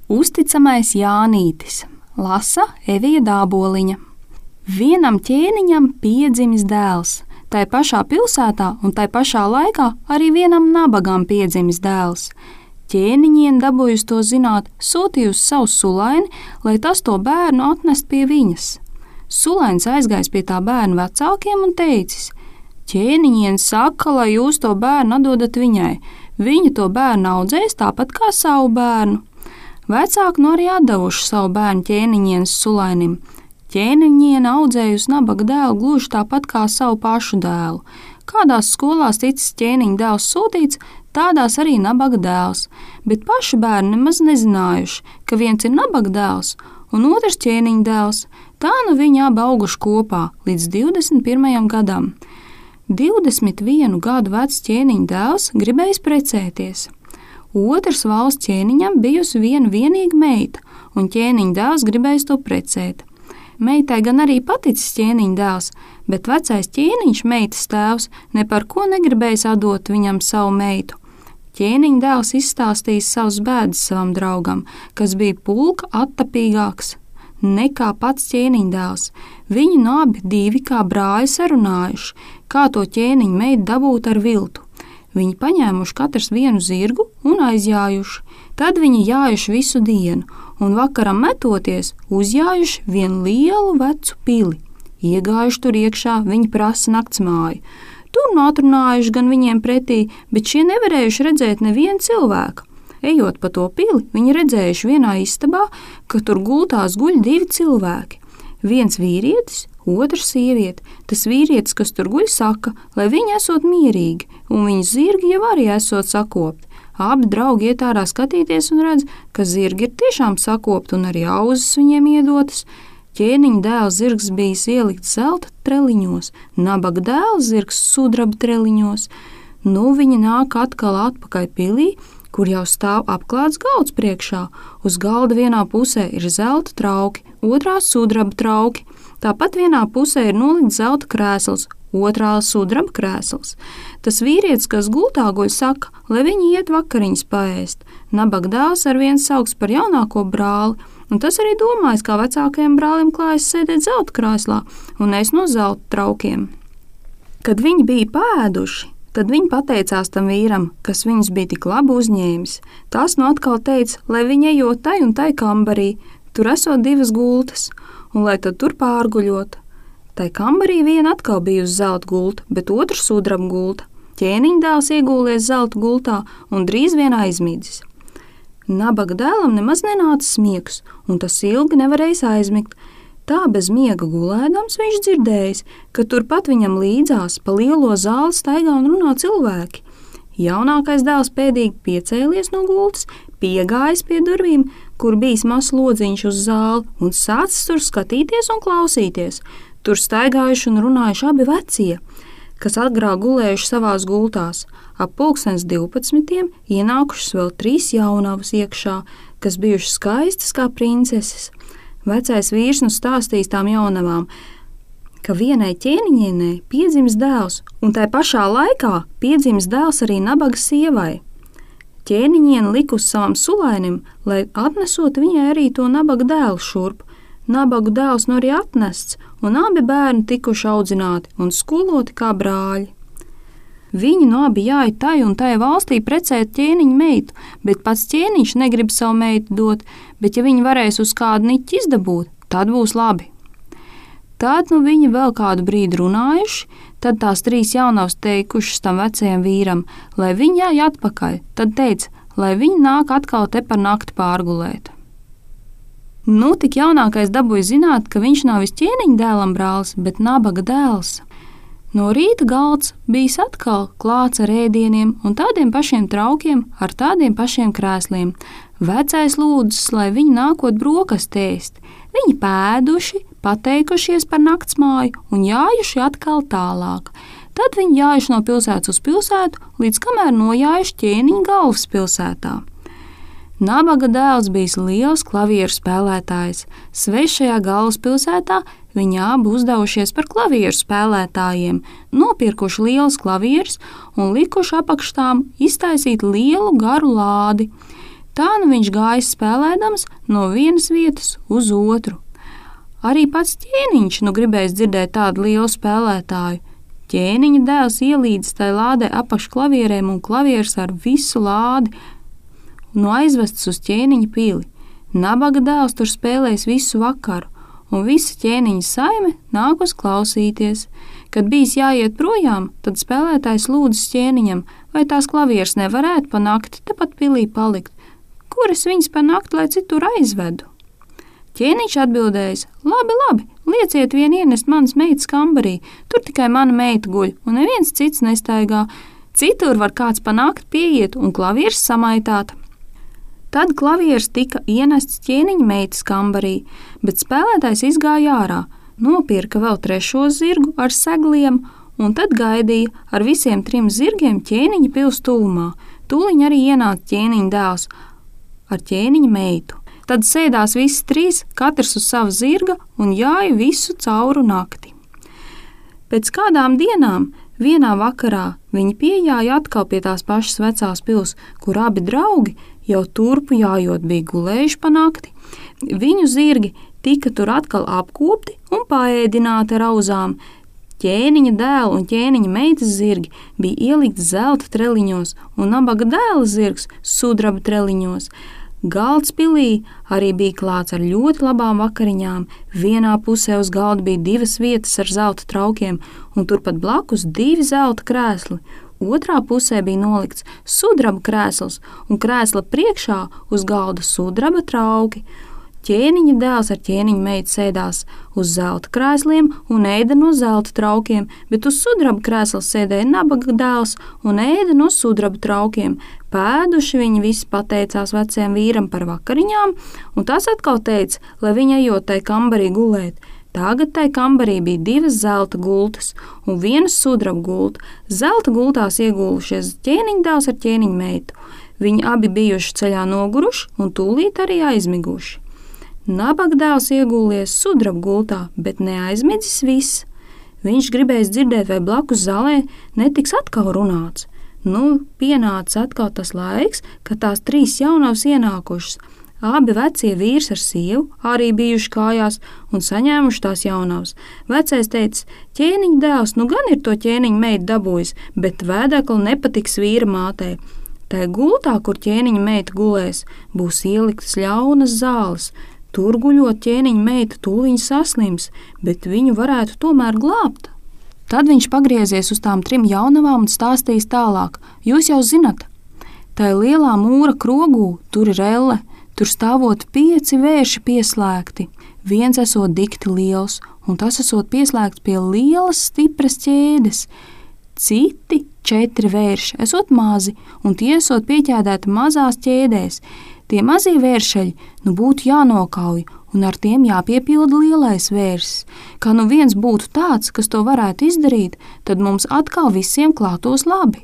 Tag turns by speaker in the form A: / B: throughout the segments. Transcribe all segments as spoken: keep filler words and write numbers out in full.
A: Uzticamais Jānītis, lasa Evija Dāboliņa. Vienam ķēniņam piedzimis dēls, tai pašā pilsētā un tai pašā laikā arī vienam nabagam piedzimis dēls. Ķēniņien dabūjusi to zināt, sūtījusi savu sulaini, lai tas to bērnu atnest pie viņas. Sulains aizgājis pie tā bērna vecākiem un teicis: ķēniņien saka, lai jūs to bērnu atdodat viņai, viņa to bērnu audzēs tāpat kā savu bērnu. Vecāki no arī atdevuši savu bērnu ķēniņienes sulainim. Ķēniņiene audzējusi nabaga dēlu gluži tāpat kā savu pašu dēlu. Kādās skolās ticis ķēniņa dēls sūtīts, tādās arī nabaga dēls, bet paši bērni nemaz nezinājuši, ka viens ir nabaga dēls un otrs ķēniņa dēls. Tā nu viņi abi auguši kopā līdz divdesmit pirmajam gadam. divdesmit vienu gadu vecs ķēniņa dēls gribējis precēties. Otrs valsts ķēniņam bijusi viena vienīga meita, un ķēniņa dēls gribējis to precēt. Meitai gan arī paticis ķēniņa dēls, bet vecais ķēniņš, meitas tēvs, ne par ko negribējis atdot viņam savu meitu. Ķēniņa dēls izstāstījis savus bēdas savam draugam, kas bija pulka attapīgāks nekā pats ķēniņa dēls. Viņi no abi divi kā brāļi sarunājuši, kā to ķēniņa meitu dabūt ar viltu. Viņi paņēmuši katrs vienu zirgu un aizjājuši. Tad viņi jājuši visu dienu, un vakaram metoties uzjājuši vienu lielu vecu pili. Iegājuši tur iekšā, viņi prasa naktsmāju. Tur nu atrunājuši gan viņiem pretī, bet šie nevarējuši redzēt nevienu cilvēku. Ejot pa to pili, viņi redzējuši vienā istabā, ka tur gultās guļ divi cilvēki. Viens vīrietis, otrs sieviete. Tas vīrietis, kas tur guļ, saka, lai viņi esot mierīgi, un viņa zirgi jau arī esot sakopti. Abi draugi iet ārā skatīties un redz, ka zirgi ir tiešām sakopti un arī auzas viņiem iedotas. Ķēniņa dēla zirgs bijis ielikts zelta treliņos, nabaga dēla zirgs sudraba treliņos. Nu viņi nāk atkal atpakaļ pilī, kur jau stāv apklāts galds priekšā. Uz galda vienā pusē ir zelta trauki, otrā sudraba trauki. Tāpat vienā pusē ir nolikts zelta krēsls, otrā sudraba krēsls. Tas vīrietis, kas gultā guļ, saka, lai viņi iet vakariņas paēst. Nabaga dēls ar viens sauks par jaunāko brāli, un tas arī domājis, kā vecākajam brālim klājas sēdēt zelta krēslā un ēst no zelta traukiem. Kad viņi bija pāēduši, tad viņi pateicās tam vīram, kas viņus bija tik labi uzņēmis. Tas nu atkal teica, lai viņi ejot tai un tai kambarī, tur esot divas gultas, un lai tad tur pārguļot. Tai kambarī viena atkal bija uz zelta gulta, bet otra sudraba gulta. Ķēniņa dēls iegūlies zelta gultā un drīz vien aizmidzis. Nabaga dēlam nemaz nenāca miegs, un tas ilgi nevarējis aizmigt. Tā bez miega gulēdams viņš dzirdējis, ka turpat viņam līdzās pa lielo zāli staigā un runā cilvēki. Jaunākais dēls pēdīgi piecēlies no gultas, piegājis pie durvīm, kur bijis mazs lodziņš uz zāli, un sācis tur skatīties un klausīties. Tur staigājuši un runājuši abi vecie, kas agrāk gulējuši savās gultās. Ap pulkstens divpadsmitiem ienākušas vēl trīs jaunavas iekšā, kas bijušas skaistas kā princeses. Vecais vīrs nu stāstīs tām jaunavām, ka vienai ķēniņienei piedzimis dēls, un tai pašā laikā piedzimis dēls arī nabaga sievai. Ķēniņiene likusi savam sulainim, lai atnesot viņai arī to nabaga dēlu šurp. Nabagu dēls nu arī atnests, un abi bērni tikuši audzināti un skoloti kā brāļi. Viņi no abi jāja tai un tai valstī precēt ķēniņa meitu, bet pats ķēniņš negrib savu meitu dot, bet ja viņi varēs uz kādu niķi izdabūt, tad būs labi. Tad nu viņi vēl kādu brīdi runājuši, tad tās trīs jaunavas teikušas tam vecajam vīram, lai viņi jāja atpakaļ, tad teica, lai viņi nāk atkal te par nakti pārgulēt. Nu, tik jaunākais dabūja zināt, ka viņš nav vis ķēniņa dēlam brālis, bet nabaga dēls. No rīta galds bijis atkal klāts ar ēdieniem un tādiem pašiem traukiem, ar tādiem pašiem krēsliem. Vecais lūdzas, lai viņi nākot brokastu ēst. Viņi pēduši, pateikušies par naktsmāju un jājuši atkal tālāk. Tad viņi jājuši no pilsētas uz pilsētu, līdz kamēr nojājuši ķēniņa galvaspilsētā. Nabaga dēls bijis liels klavieru spēlētājs. Svešajā galvaspilsētā viņi abi uzdevušies par klavieru spēlētājiem, nopirkuši liels klavierus un likuši apakštām iztaisīt lielu garu lādi. Tā nu viņš gājis spēlēdams no vienas vietas uz otru. Arī pats ķēniņš nu gribējis dzirdēt tādu lielu spēlētāju. Ķēniņa dēls ielīdis tai lādē apakš klavierēm un klavieres ar visu lādi nu aizvests uz ķēniņa pili. Nabaga dēls tur spēlējis visu vakaru, un visa ķēniņa saime nākus klausīties. Kad bijis jāiet projām, tad spēlētājs lūdzas ķēniņam, vai tās klavieres nevarētu pa nakti tepat pilī palikt. Kur es viņas pa nakti, lai citur aizvedu? Ķēniņš atbildējis: labi, labi, lieciet vien ienest manas meitas kambarī, tur tikai mana meita guļ, un neviens cits nestaigā. Citur var kāds pa nakti pieiet un klavieres samaitāt. Tad klavieres tika ienests ķēniņa meitas kambarī, bet spēlētājs izgāja ārā, nopirka vēl trešo zirgu ar segliem un tad gaidīja ar visiem trim zirgiem ķēniņa pils tuvumā. Tūliņ arī ienāca ķēniņa dēls ar ķēniņa meitu. Tad sēdās visi trīs, katrs uz sava zirga un jāja visu cauru nakti. Pēc kādām dienām vienā vakarā viņi piejāja atkal pie tās pašas vecās pils, kur abi draugi jau turpu jājot bija gulējuši pa nakti. Viņu zirgi tika tur atkal apkopti un paēdināti ar auzām. Ķēniņa dēla un ķēniņa meitas zirgi bija ielikti zelta treliņos un nabaga dēla zirgs sudraba treliņos. Galds pilī arī bija klāts ar ļoti labām vakariņām. Vienā pusē uz galda bija divas vietas ar zelta traukiem, un turpat blakus divi zelta krēsli. Otrā pusē bija nolikts sudraba krēsls, un krēsla priekšā uz galda sudraba trauki. Ķēniņa dēls ar ķēniņa meitu sēdās uz zelta krēsliem un ēda no zelta traukiem, bet uz sudraba krēsla sēdēja nabaga dēls un ēda no sudraba traukiem. Pēduši viņi visi pateicās vecajam vīram par vakariņām, un tas atkal teica, lai viņa ejot tai kambarī gulēt. Tagad tai kambarī bija divas zelta gultas un viena sudraba gulta. Zelta gultās iegulušies ķēniņa dēls ar ķēniņa meitu. Viņi abi bijuši ceļā noguruši un tūlīt arī aizmiguši. Nabaga dēls iegūlies sudraba gultā, bet neaizmidzis viss. Viņš gribējis dzirdēt, vai blakus zālē netiks atkal runāts. Nu, pienāca atkal tas laiks, kad tās trīs jaunavas ienākušas. Abi vecie vīrs ar sievu arī bijuši kājās un saņēmuši tās jaunavas. Vecais teica: ķēniņa dēls nu gan ir to ķēniņa meitu dabūjis, bet vēdekli nepatiks vīra mātei. Tai gultā, kur ķēniņa meita gulēs, būs ieliktas ļaunas zāles. Tur guļot ķēniņa meita tūliņ saslims, bet viņu varētu tomēr glābt. Tad viņš pagriezies uz tām trim jaunavām un stāstīs tālāk. Jūs jau zinat, tai lielā mūra krogū tur ir elle, tur stāvot pieci vērši pieslēgti. Viens esot dikti liels, un tas esot pieslēgts pie lielas stipras ķēdes. Citi četri vērši esot mazi, un tie esot pieķēdēti mazās ķēdēs. Tie mazie vēršeļi nu būtu jānokauj, un ar tiem jāpiepilda lielais vērsis. Kā nu viens būtu tāds, kas to varētu izdarīt, tad mums atkal visiem klātos labi.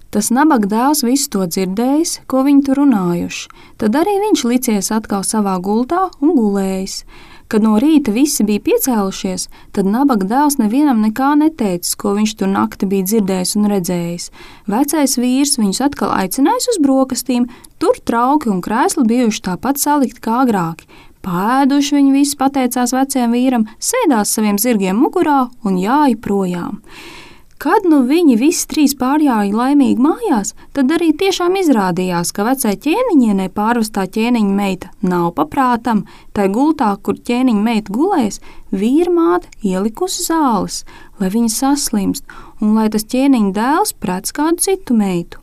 A: Tas nabaga dēls visu to dzirdējis, ko viņi tur runājuši. Tad arī viņš licies atkal savā gultā un gulējis. Kad no rīta visi bija piecēlušies, tad nabaga dēls nevienam nekā neteicis, ko viņš tur nakti bija dzirdējis un redzējis. Vecais vīrs viņus atkal aicinājis uz brokastīm, tur trauki un krēsli bijuši tāpat salikti kā agrāki. Pēduši viņi visi pateicās vecajam vīram, sēdās saviem zirgiem mugurā un jāja projām. Kad nu viņi visi trīs pārjāja laimīgi mājās, tad arī tiešām izrādījās, ka vecai ķēniņienei pārvestā ķēniņa meita nav paprātam. Tai gultā, kur ķēniņa meita gulēs, vīra māte ielikusi zāles, lai viņa saslimst un lai tas ķēniņa dēls prec kādu citu meitu.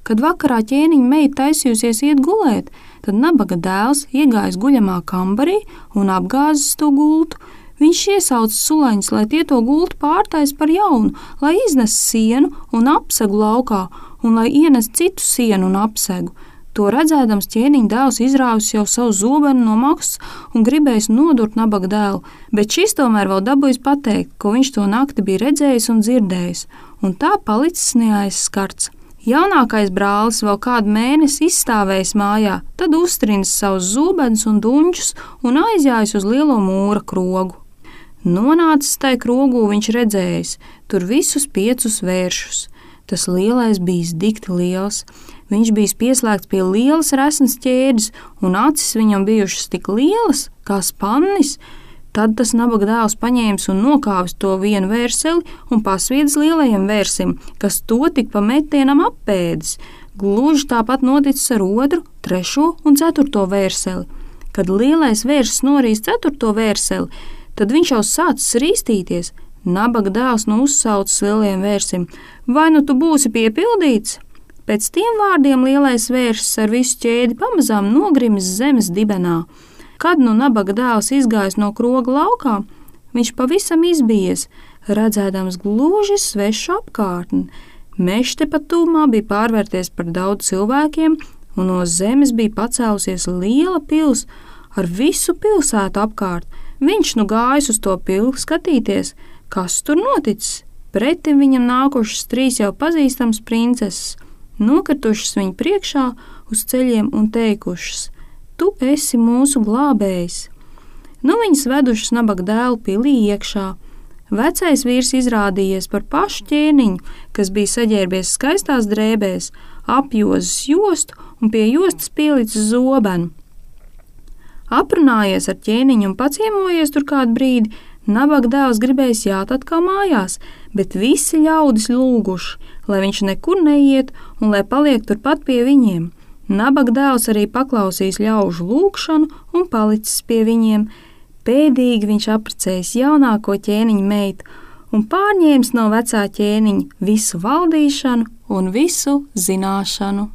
A: Kad vakarā ķēniņa meita taisījusies iet gulēt, tad nabaga dēls iegājis guļamā kambarī un apgāzis to gultu. Viņš iesauca sulaņus, lai tie to gultu pārtais par jaunu, lai iznes sienu un apsegu laukā, un lai ienes citu sienu un apsegu. To redzēdams ķēniņa dēls izrāvis jau savu zobenu no maksas un gribējis nodurt nabaga dēlu, bet šis tomēr vēl dabūjis pateikt, ko viņš to nakti bija redzējis un dzirdējis, un tā palicis neaizskarts. Jaunākais brālis vēl kādu mēnesi izstāvējis mājā, tad uztrinis savus zobenus un duņķus un aizjājis uz lielo mūra krogu. Nonācis tai krogū viņš redzējis tur visus piecus vēršus. Tas lielais bijis dikti liels. Viņš bija pieslēgts pie lielas resnas ķēdes, un acis viņam bijušas tik lielas kā spannis. Tad tas nabaga dēls paņēmis un nokāvis to vienu vērseli un pasviedis lielajam vērsim, kas to tik pa metienam apēdis. Gluži tāpat noticis ar otru, trešo un ceturto vērseli. Kad lielais vērsis norīs ceturto vērseli, tad viņš jau sācis rīstīties. Nabaga dēls nu uzsaucis lielajam vērsim: vai nu tu būsi piepildīts? Pēc tiem vārdiem lielais vērsis ar visu ķēdi pamazām nogrimis zemes dibenā. Kad nu nabaga dēls izgājis no kroga laukā, viņš pavisam izbijies, redzēdams gluži svešu apkārtni. Mežs tepat tūmā bija pārvērties par daudz cilvēkiem, un no zemes bija pacēlusies liela pils ar visu pilsētu apkārt. Viņš nu gājis uz to pili skatīties, kas tur noticis. Pretim viņam nākušas trīs jau pazīstamas princeses, nokritušas viņa priekšā uz ceļiem un teikušas: tu esi mūsu glābējs. Nu viņas vedušas nabaga dēlu pilī iekšā. Vecais vīrs izrādījies par pašu ķēniņu, kas bija saģērbies skaistās drēbēs, apjozis jostu un pie jostas pielicis zobenu. Aprunājies ar ķēniņu un paciemojies tur kādu brīdi, nabaga dēls gribējis jāt atkal mājās, bet visi ļaudis lūguši, lai viņš nekur neiet un lai paliek turpat pie viņiem. Nabaga dēls arī paklausījis ļaužu lūgšanu un palicis pie viņiem. Pēdīgi viņš apprecējis jaunāko ķēniņa meitu un pārņēmis no vecā ķēniņa visu valdīšanu un visu zināšanu.